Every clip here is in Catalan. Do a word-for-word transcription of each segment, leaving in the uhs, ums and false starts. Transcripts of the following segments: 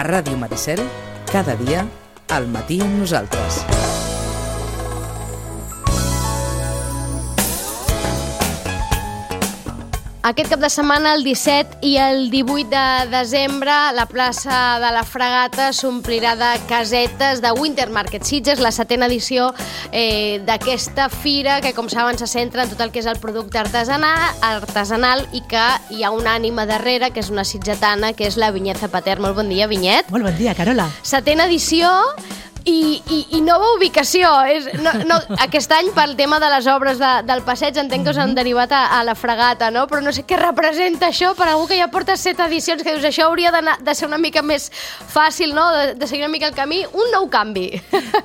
Ràdio Maricel, cada dia, al matí amb nosaltres. Aquest cap de setmana, el disset i el divuit de desembre, la plaça de la Fragata s'omplirà de casetes de Winter Market Sitges, la setena edició eh, d'aquesta fira que, com saben, se centra en tot el que és el producte artesanal, artesanal i que hi ha una ànima darrere, que és una sitgetana, que és la Vinyet Zapater. Molt bon dia, Vinyet. Molt bon dia, Carola. Setena edició... I, i, i nova ubicació. És, no, no, aquest any, pel tema de les obres de, del passeig, entenc que us han derivat a, a la Fragata, no? Però no sé què representa això per algú que ja porta set edicions, que dius, això hauria de ser una mica més fàcil, no? De, de seguir una mica el camí. Un nou canvi.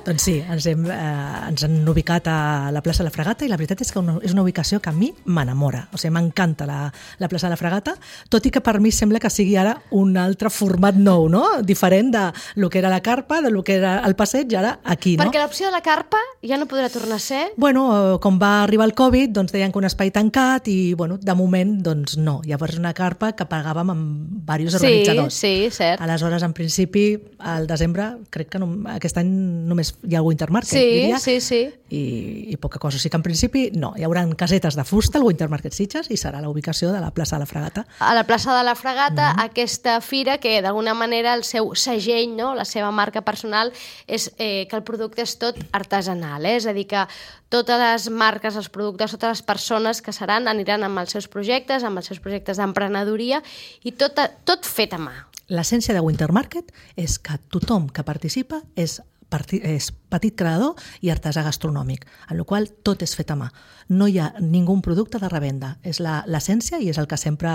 Doncs sí, ens, hem, eh, ens han ubicat a la plaça de la Fragata i la veritat és que una, és una ubicació que a mi m'enamora. O sigui, m'encanta la, la plaça de la Fragata, tot i que per mi sembla que sigui ara un altre format nou, no? Diferent de lo que era la carpa, de lo que era el passeig, i ara aquí, no? Perquè l'opció de la carpa ja no podrà tornar a ser? Bueno, com va arribar el Covid, doncs deien que un espai tancat i, bueno, de moment, doncs no. Llavors una carpa que pagàvem amb diversos sí, organitzadors. Sí, cert. Aleshores, en principi, al desembre, crec que no, aquest any només hi ha el Winter Market, sí, diria. Sí, sí, i, i poca cosa. O sigui que en principi, no. Hi haurà casetes de fusta al Winter Market Sitges i serà la ubicació de la plaça de la Fragata. A la plaça de la Fragata, mm. aquesta fira que, d'alguna manera, el seu segell, no? La seva marca personal, és eh, que el producte és tot artesanal, eh? És a dir, que totes les marques, els productes, totes les persones que seran aniran amb els seus projectes, amb els seus projectes d'emprenedoria i tot, tot fet a mà. L'essència de Winter Market és que tothom que participa és, és petit creador i artesà gastronòmic, en la qual tot és fet a mà. No hi ha ningú producte de revenda. És l'essència i és el que sempre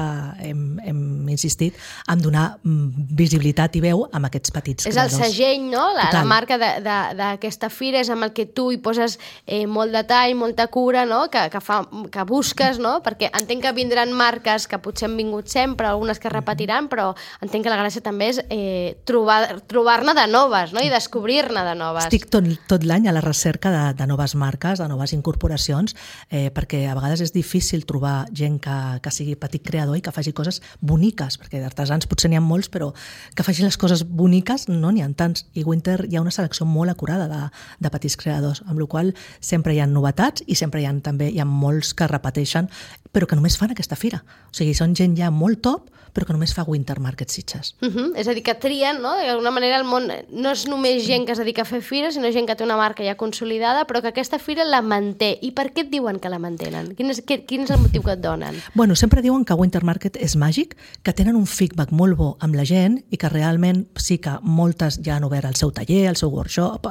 hem, hem insistit en donar visibilitat i veu amb aquests petits és creadors. És el segell, no? La, la marca d'aquesta fira és amb el que tu hi poses eh, molt detall, molta cura, no? Que, que, fa, que busques, no? Perquè entenc que vindran marques que potser han vingut sempre, algunes que repetiran, però entenc que la gràcia també és eh, trobar-ne trobar de noves, no? I descobrir-ne de noves. Estic tot, tot l'any a la recerca de, de noves marques, de noves incorporacions, eh, perquè a vegades és difícil trobar gent que, que sigui petit creador i que faci coses boniques, perquè d'artesans potser n'hi ha molts, però que facin les coses boniques no n'hi ha tants. I Winter hi ha una selecció molt acurada de, de petits creadors, amb la qual sempre hi ha novetats i sempre hi ha, també hi ha molts que repeteixen, però que només fan aquesta fira. O sigui, són gent ja molt top, però que només fa Winter Market Sitges. Uh -huh. És a dir, que trien, no? D'alguna manera el món no és només gent que es dedica a fer fires, sinó gent que té una marca ja consolidada, però que aquesta fira la manté. I per què et diuen que la mantenen? Quin és, quin és el motiu que et donen? Bueno, sempre diuen que Winter Market és màgic, que tenen un feedback molt bo amb la gent i que realment sí que moltes ja han obert el seu taller, el seu workshop,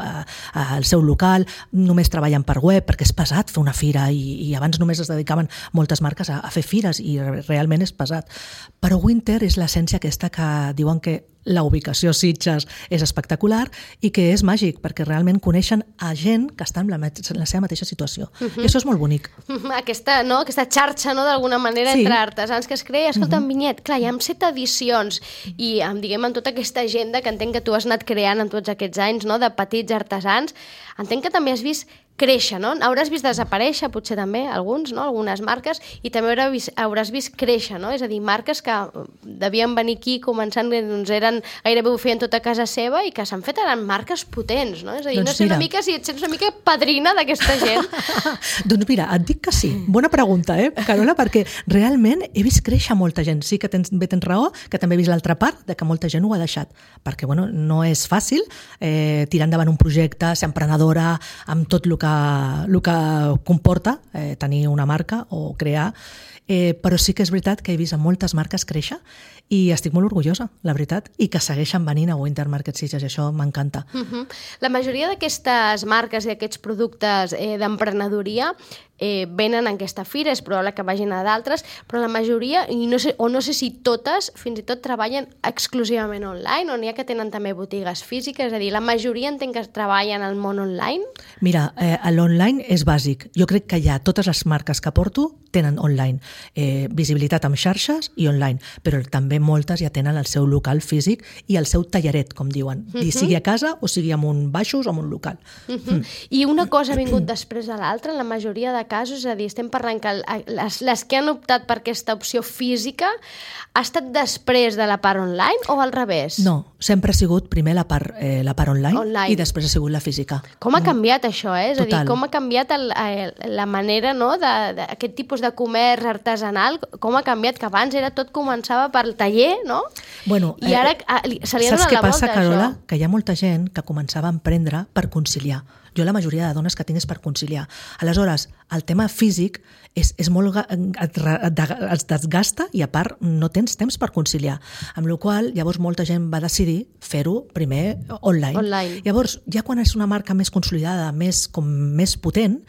el seu local, només treballen per web perquè és pesat fer una fira i, i abans només es dedicaven moltes marques a, a fer fires i realment és pesat. Però Winter és l'essència aquesta que diuen que la ubicació Sitges és espectacular i que és màgic, perquè realment coneixen a gent que està en la, en la seva mateixa situació. Uh-huh. I això és molt bonic. Uh-huh. Aquesta, no? Aquesta xarxa, no? D'alguna manera, sí, entre artesans que es crea. Escolta, uh-huh. Vinyet, clar, hi ha set edicions i amb, diguem, amb tota aquesta agenda que entenc que tu has anat creant en tots aquests anys, no? De petits artesans, entenc que també has vist créixer, no? Hauràs vist desaparèixer, potser també, alguns, no? Algunes marques, i també hauràs vist, hauràs vist créixer, no? És a dir, marques que devien venir aquí començant, doncs eren, gairebé ho feien tot a casa seva i que s'han fet eren marques potents, no? És a dir, doncs no sé mira. Una mica si et sents una mica padrina d'aquesta gent. Doncs mira, et dic que sí. Bona pregunta, eh, Carola, perquè realment he vist créixer molta gent. Sí que tens, bé tens raó, que també he vist l'altra part, de que molta gent ho ha deixat. Perquè, bueno, no és fàcil eh, tirar endavant un projecte, ser emprenedora, amb tot el que el que comporta eh, tenir una marca o crear, eh, però sí que és veritat que he vist a moltes marques créixer i estic molt orgullosa, la veritat, i que segueixen venint a Winter Market Sitges, i això m'encanta. Uh-huh. La majoria d'aquestes marques i aquests productes eh, d'emprenedoria eh, venen en aquesta fira, és probable que vagin a d'altres, però la majoria, i no sé, o no sé si totes, fins i tot treballen exclusivament online, o n'hi ha que tenen també botigues físiques, és a dir, la majoria entenc que treballen al món online? Mira, eh, l'online és bàsic. Jo crec que ja totes les marques que porto tenen online. Eh, visibilitat amb xarxes i online, però també moltes ja tenen el seu local físic i el seu tallaret, com diuen, uh-huh. sigui a casa o sigui en un baixos o en un local. Uh-huh. Mm. I una cosa ha vingut després de l'altra, en la majoria de casos, és a dir, estem parlant que les, les que han optat per aquesta opció física ha estat després de la part online o al revés? No, sempre ha sigut primer la part, eh, la part online, online i després ha sigut la física. Com ha canviat això, eh? És Total. a dir, com ha canviat el, el, la manera, no?, d'aquest tipus de comerç artesanal, com ha canviat, que abans era tot començava pel taller, no? Bueno, I ara eh, se li ha donat la volta, saps què passa, Carola? això. Que hi ha molta gent que començava a emprendre per conciliar. Jo la majoria de dones que tinc és per conciliar. Aleshores, el tema físic és, és molt, et, et, et desgasta i a part no tens temps per conciliar. Amb la qual cosa, llavors molta gent va decidir fer-ho primer online. online. Llavors, ja quan és una marca més consolidada, més, com més potent,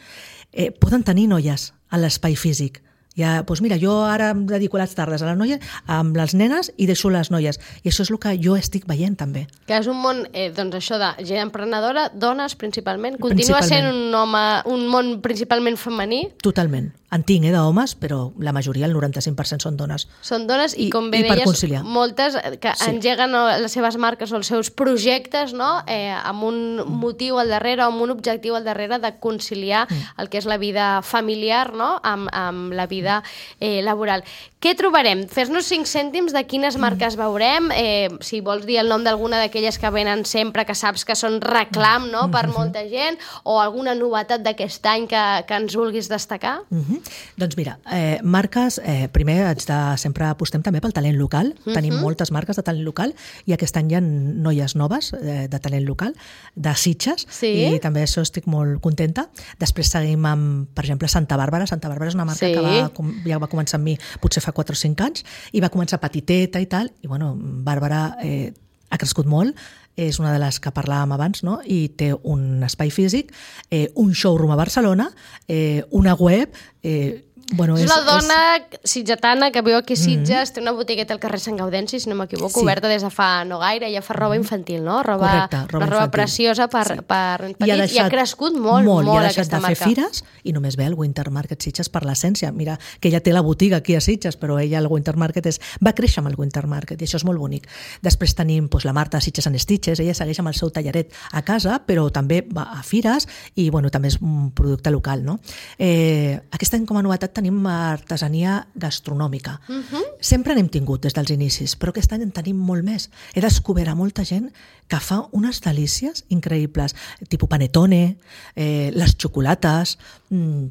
eh, poden tenir noies a l'espai físic. Ja, doncs mira, jo ara em dedico les tardes a les noies, amb les nenes i deixo les noies. I això és el que jo estic veient també. Que és un món, eh, doncs això de gent emprenedora, dones principalment, continua Principalment. sent un, home, un món principalment femení. Totalment. En tinc, eh, d'homes, però la majoria, el noranta-cinc per cent són dones. Són dones i, I- com bé i per deies, conciliar. moltes que Sí. engeguen no, les seves marques o els seus projectes, no?, eh, amb un motiu al darrere, amb un objectiu al darrere de conciliar el que és la vida familiar, no?, amb, amb la vida eh, laboral. Què trobarem? Fes-nos cinc cèntims de quines marques veurem, eh, si vols dir el nom d'alguna d'aquelles que venen sempre, que saps que són reclam, no?, per molta gent, o alguna novetat d'aquest any que, que ens vulguis destacar. Uh -huh. Doncs mira, eh, marques, eh, primer haig de, sempre apostem també pel talent local. Uh -huh. Tenim moltes marques de talent local i aquest any hi ha noies noves eh, de talent local, de Sitges, Sí. i també això estic molt contenta. Després seguim amb, per exemple, Santa Bàrbara. Santa Bàrbara és una marca Sí. que va, com- ja va començar amb mi potser fa quatre o cinc anys i va començar petiteta i tal, i bueno, Bàrbara eh, ha crescut molt, és una de les que parlàvem abans, no? I té un espai físic, eh, un showroom a Barcelona, eh, una web... Eh, bueno, És la dona sitgetana que viu aquí a Sitges, té una botigueta al carrer Sant Gaudenci, si no m'equivoco, Sí. oberta des de fa no gaire, ja fa roba infantil, no? Roba, Correcte, roba una roba infantil. preciosa per, Sí. per nens I ha, petits, i ha deixat crescut molt, molt, molt i ha deixat aquesta de fer marca. fires i només ve el Winter Market Sitges per l'essència. Mira, que ella té la botiga aquí a Sitges, però ella, el Winter Market, és, va créixer amb el Winter Market i això és molt bonic. Després tenim doncs, la Marta Sitges and Stitches, ella segueix amb el seu talleret a casa, però també va a fires i bueno, també és un producte local. No? Eh, aquest any com a novetat tenim artesania gastronòmica. Uh-huh. Sempre n'hem tingut des dels inicis, però aquest any en tenim molt més. He descobert a molta gent que fa unes delícies increïbles, tipus panetone, eh, les xocolates, mmm,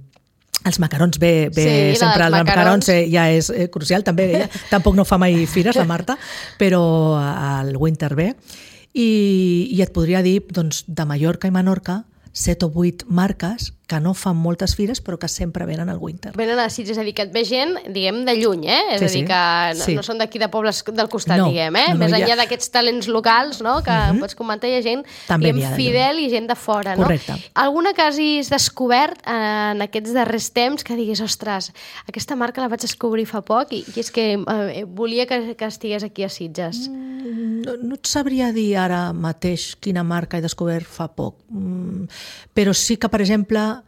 els macarons, bé, bé Sí, sempre els els macarons. macarons eh, ja és eh, crucial, també ella tampoc no fa mai fires, la Marta, però al Winter bé. I, i et podria dir, doncs, de Mallorca i Menorca, set o vuit marques que no fan moltes fires però que sempre venen al Winter. Venen a Sitges, és a dir, que et ve gent, diguem, de lluny, eh? És Sí, a dir, sí. que no, Sí. no són d'aquí de pobles del costat, No, diguem, eh? no, no, Més hi ha- enllà d'aquests talents locals, no?, que uh-huh. pots comentar, hi ha gent, També n'hi diguem, ha de lluny. fidel i gent de fora, no? Correcte. Alguna que hagis descobert en aquests darrers temps que diguis, ostres, aquesta marca la vaig descobrir fa poc i, i és que eh, volia que, que estigués aquí a Sitges. No, no et sabria dir ara mateix quina marca he descobert fa poc, mm, però sí que, per exemple,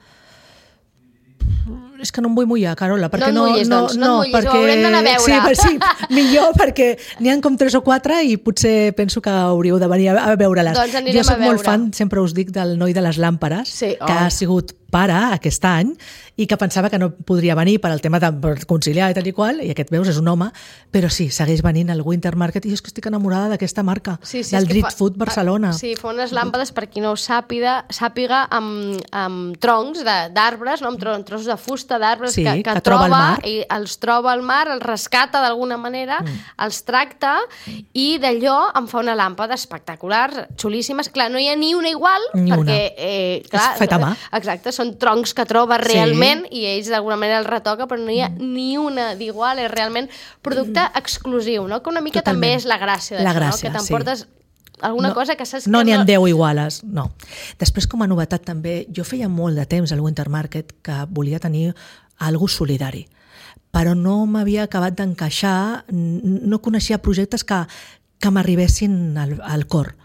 és que no em vull mullar, Carola, perquè No et no... mullis, doncs, no et mullis, ho perquè... haurem d'anar a veure. Sí, sí, millor, perquè n'hi ha com tres o quatre i potser penso que hauríeu de venir a, a veure-les. Doncs anirem jo soc a veure. molt fan, sempre us dic, del noi de les làmperes, Sí, que oh. ha sigut pare aquest any i que pensava que no podria venir per al tema de per conciliar i tal i qual, i aquest, veus, és un home, però sí, segueix venint al Winter Market i jo és que estic enamorada d'aquesta marca, Sí, sí, del és que Street fa- Food Barcelona. Sí, fa unes làmpades, per qui no ho sàpiga, sàpiga amb, amb troncs de- d'arbres, no? amb, tro amb trossos de fusta d'arbres Sí, que, que, que troba al troba, mar. i els troba al mar, els rescata d'alguna manera, mm. els tracta i d'allò en fa una làmpada espectacular, xulíssimes. Clar, no hi ha ni una igual, Ni perquè... una. Eh, clar, És feta a mà. Exacte, són troncs que troba Sí. realment i ells d'alguna manera els retoca, però no hi ha ni una d'igual, és realment producte exclusiu, no? Que una mica Totalment. també és la gràcia d'això, La no? gràcia, Que sí. t'emportes alguna no, cosa que saps no que n'hi ha no... deu iguales, no. Després, com a novetat també, jo feia molt de temps al Winter Market que volia tenir algo solidari, però no m'havia acabat d'encaixar, n- no coneixia projectes que, que m'arribessin al, al cor.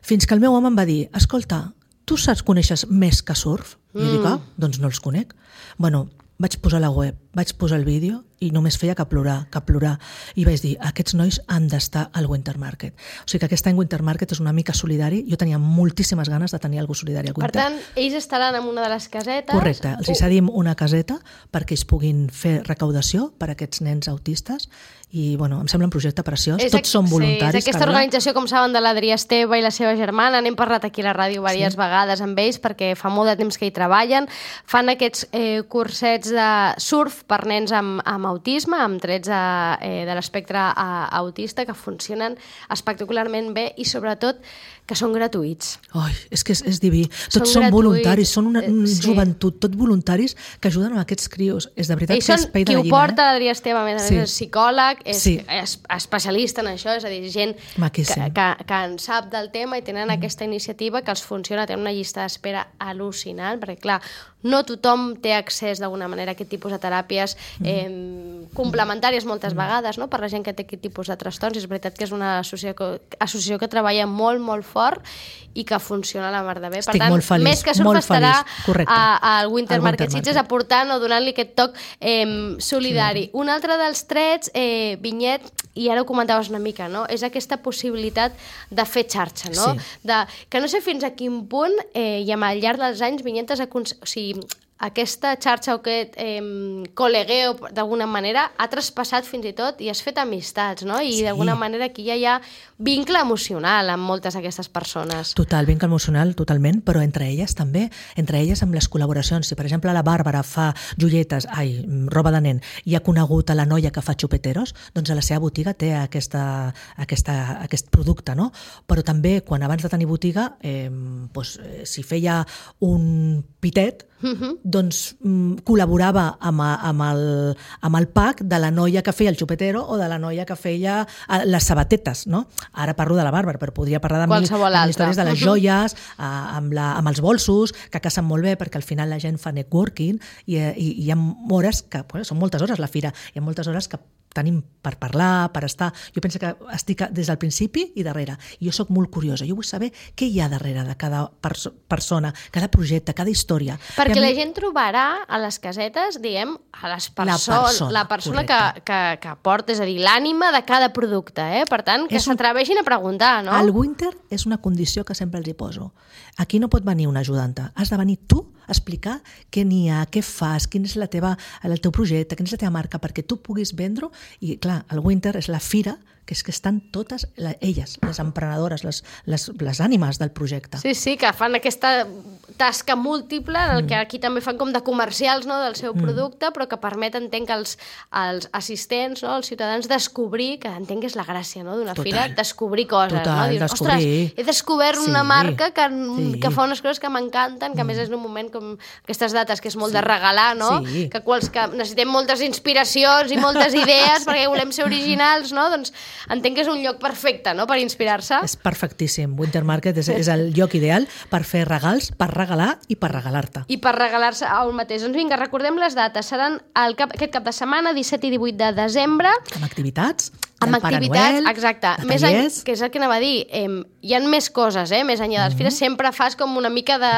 Fins que el meu home em va dir, escolta, tu saps, coneixes més que surf? I jo dic, ah, doncs no els conec. Bueno, vaig posar la web, vaig posar el vídeo i només feia que plorar, que plorar. I vaig dir, aquests nois han d'estar al Winter Market. O sigui que aquest any Winter Market és una mica solidari. Jo tenia moltíssimes ganes de tenir algú solidari al Winter. Per tant, ells estaran en una de les casetes. Correcte, els hi cedim una caseta perquè ells puguin fer recaudació per a aquests nens autistes i bueno, em sembla un projecte preciós. És Tots són voluntaris. Sí, és aquesta organització, com saben, de l'Adrià Esteve i la seva germana. N'hem parlat aquí a la ràdio diverses sí. vegades amb ells perquè fa molt de temps que hi treballen. Fan aquests eh, cursets de surf per nens amb, amb autisme, amb trets de, eh, de l'espectre autista, que funcionen espectacularment bé i sobretot que són gratuïts. Ai, és que és, és diví. Tots són, són voluntaris, són una, una sí. joventut, tots voluntaris que ajuden a aquests crios. És de veritat I que és pell de gallina. Qui ho porta, eh? l'Adrià Esteve, a més a sí. més, és psicòleg, és, sí. és especialista en això, és a dir, gent que, que, que en sap del tema i tenen mm. aquesta iniciativa que els funciona, tenen una llista d'espera al·lucinant, perquè clar, no tothom té accés d'alguna manera a aquest tipus de teràpies eh, complementàries moltes vegades, no? Per la gent que té aquest tipus de trastorns. És veritat que és una associació, associació que treballa molt, molt fort i que funciona a la mar de bé. Estic per tant, molt feliç, més que surf estarà al Winter Winter Market Sitges aportant o donant-li aquest toc eh, solidari. Sí. Un altre dels trets, eh, Vinyet, i ara ho comentaves una mica, no? És aquesta possibilitat de fer xarxa, no? Sí. De, que no sé fins a quin punt, eh, i al llarg dels anys, Vinyet has aconseguit... O sigui, aquesta xarxa o aquest eh, col·legueo, d'alguna manera, ha traspassat fins i tot i has fet amistats, no? I sí. d'alguna manera aquí ja hi ha vincle emocional amb moltes d'aquestes persones. Total, vincle emocional, totalment, però entre elles també, entre elles amb les col·laboracions. Si, per exemple, la Bàrbara fa joietes, ai, roba de nen, i ha conegut a la noia que fa xupeteros, doncs a la seva botiga té aquesta, aquesta, aquest producte, no? Però també, quan abans de tenir botiga, eh, doncs, si feia un pitet, Uh-huh. doncs mm, col·laborava amb, amb, el, amb el pack de la noia que feia el xupetero o de la noia que feia les sabatetes, no? Ara parlo de la Bàrbara, però podria parlar de mil, mil històries de les joies, uh, amb, la, amb els bolsos, que casen molt bé perquè al final la gent fa networking i, i, i hi ha hores que, bueno, són moltes hores la fira, hi ha moltes hores que tenim per parlar, per estar... Jo penso que estic des del principi i darrere. I jo sóc molt curiosa. Jo vull saber què hi ha darrere de cada perso- persona, cada projecte, cada història. Perquè mi... la gent trobarà a les casetes, diguem, a les perso- la persona, la persona que, que, que porta, és a dir, l'ànima de cada producte. Eh? Per tant, que s'atreveixin un... a preguntar, no? El Winter és una condició que sempre els hi poso. Aquí no pot venir una ajudanta. Has de venir tu a explicar què n'hi ha, què fas, quin és la teva, el teu projecte, quina és la teva marca, perquè tu puguis vendre-ho. I clar, el Winter és la fira que és que estan totes la, elles, les emprenedores, les, les, les ànimes del projecte. Sí, sí, que fan aquesta tasca múltiple, en el mm. que aquí també fan com de comercials, no?, del seu mm. producte, però que permet, entenc, als, als assistents, no?, als ciutadans, descobrir, que entenc que és la gràcia, no?, d'una fira, descobrir coses. Total, no? Dius, descobrir. Ostres, he descobert sí, una marca que, sí. que fa unes coses que m'encanten, que a més mm. és en un moment com aquestes dates, que és molt sí. de regalar, no?, sí. que, quals, que necessitem moltes inspiracions i moltes idees sí. perquè volem ser originals, no?, doncs entenc que és un lloc perfecte, no?, per inspirar-se. És perfectíssim. Winter Market és, és el lloc ideal per fer regals, per regalar i per regalar-te. I per regalar-se al mateix. Doncs vinga, recordem les dates. Seran el cap, aquest cap de setmana, disset i divuit de desembre. Amb activitats. Amb activitats, Noel, exacte. Més en, que és el que anava a dir. Eh, hi ha més coses, eh? Més enllà de les fires. Mm-hmm. Sempre fas com una mica de,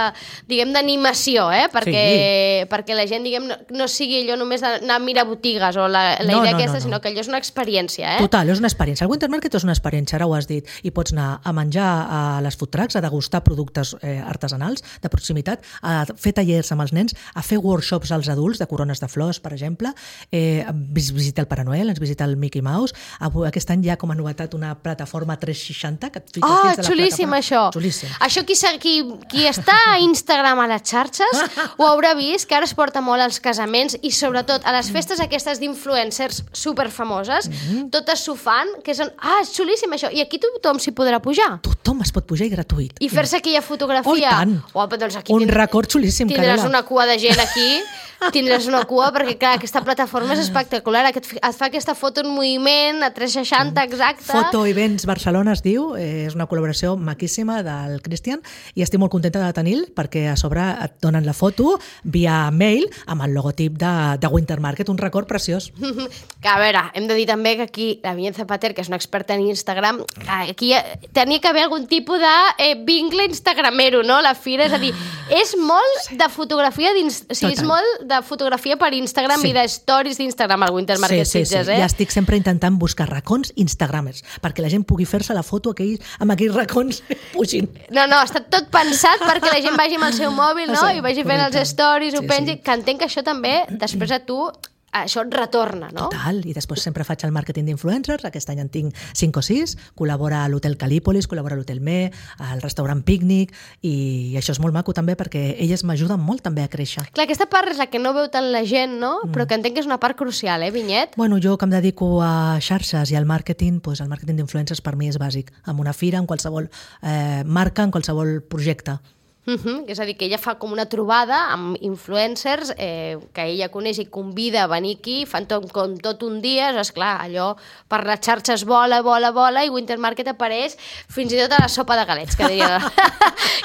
diguem, d'animació, eh? Perquè, sí. perquè la gent, diguem, no, no sigui allò només d'anar a mirar botigues o la, la no, idea no, aquesta, no, no. sinó que allò és una experiència, eh? Total, és una experiència. El Winter Market és una experiència, ara ho has dit, i pots anar a menjar a les food trucks, a degustar productes eh, artesanals de proximitat, a fer tallers amb els nens, a fer workshops als adults de corones de flors, per exemple, eh, visitar el Pare Noel, ens visita el Mickey Mouse, aquest any hi ha com a novetat una plataforma tres seixanta que et fiques oh, dins de la xulíssim, això. Xulíssim. Això qui, qui, qui està a Instagram a les xarxes ho haurà vist, que ara es porta molt als casaments i sobretot a les festes aquestes d'influencers superfamoses, mm-hmm. totes s'ho fan, que són, ah, és xulíssim això, i aquí tothom s'hi podrà pujar. Tothom es pot pujar i gratuït. I fer-se aquella fotografia. Oh, i tant. Oh, doncs aquí un tindràs, record xulíssim. Tindràs Carela. una cua de gent aquí, tindràs una cua, perquè clar, aquesta plataforma és espectacular, et, et fa aquesta foto en moviment a tres seixanta exacte. Foto Events Barcelona es diu, eh, és una col·laboració maquíssima del Cristian i estic molt contenta de tenir-lo perquè a sobre et donen la foto via mail amb el logotip de, de Winter Market, un record preciós. Que a veure, hem de dir també que aquí la Vinyet Zapater, que és una experta en Instagram, aquí tenia que haver algun tipus de eh, vincle instagramero, no? La fira, és a dir, és molt de fotografia dins, o sigui, és molt de fotografia per Instagram sí. i de stories d'Instagram al Winter Market sí, sí, Sitges, sí. eh? Ja estic sempre intentant buscar racons instagramers, perquè la gent pugui fer-se la foto aquell, amb aquells racons pugin. No, no, està tot pensat perquè la gent vagi amb el seu mòbil, no? Sí, I vagi fent correcte. els stories, ho Sí, pengi, sí. que entenc que això també, després a tu, això et retorna, no? Total, i després sempre faig el màrqueting d'influencers, aquest any en tinc cinc o sis, col·labora a l'Hotel Calípolis, col·labora a l'Hotel Me, al restaurant Pícnic, i això és molt maco també perquè elles m'ajuden molt també a créixer. Clar, aquesta part és la que no veu tant la gent, no? Mm. Però que entenc que és una part crucial, eh, Vinyet? Bueno, jo que em dedico a xarxes i al màrqueting, doncs el màrqueting d'influencers per mi és bàsic, en una fira, en qualsevol eh, marca, en qualsevol projecte. Uh-huh. És a dir, que ella fa com una trobada amb influencers eh, que ella coneix i convida a venir aquí, fan tot, com tot un dia, és clar, allò per les xarxes vola, vola, vola, i Winter Market apareix fins i tot a la sopa de galets, que diria,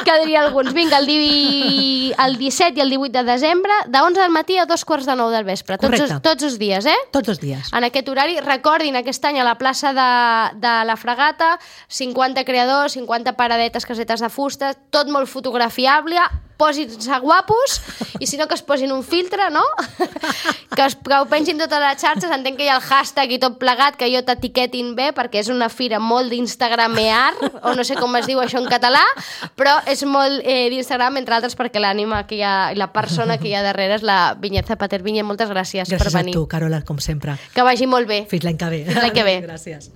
que diria alguns. Vinga, el, di... el disset i el divuit de desembre, de onze del matí a dos quarts de nou del vespre. Tots els, tots els dies, eh? Tots els dies. En aquest horari, recordin, aquest any a la plaça de, de la Fragata, cinquanta creadors, cinquanta paradetes, casetes de fusta, tot molt fotografiat, fiable, posin-se guapos i si no que es posin un filtre, no? que, es, que ho pensin totes les xarxes, entenc que hi ha el hashtag i tot plegat, que jo t'etiquetin bé perquè és una fira molt d'instagramear o no sé com es diu això en català, però és molt eh, d'Instagram, entre altres perquè l'ànima que hi ha, la persona que hi ha darrere és la Vinyet Zapater. Vinyet, moltes gràcies, gràcies per venir. Gràcies a tu, Carola, com sempre. Que vagi molt bé. Fins l'any que ve. Fins l'any que ve. Gràcies.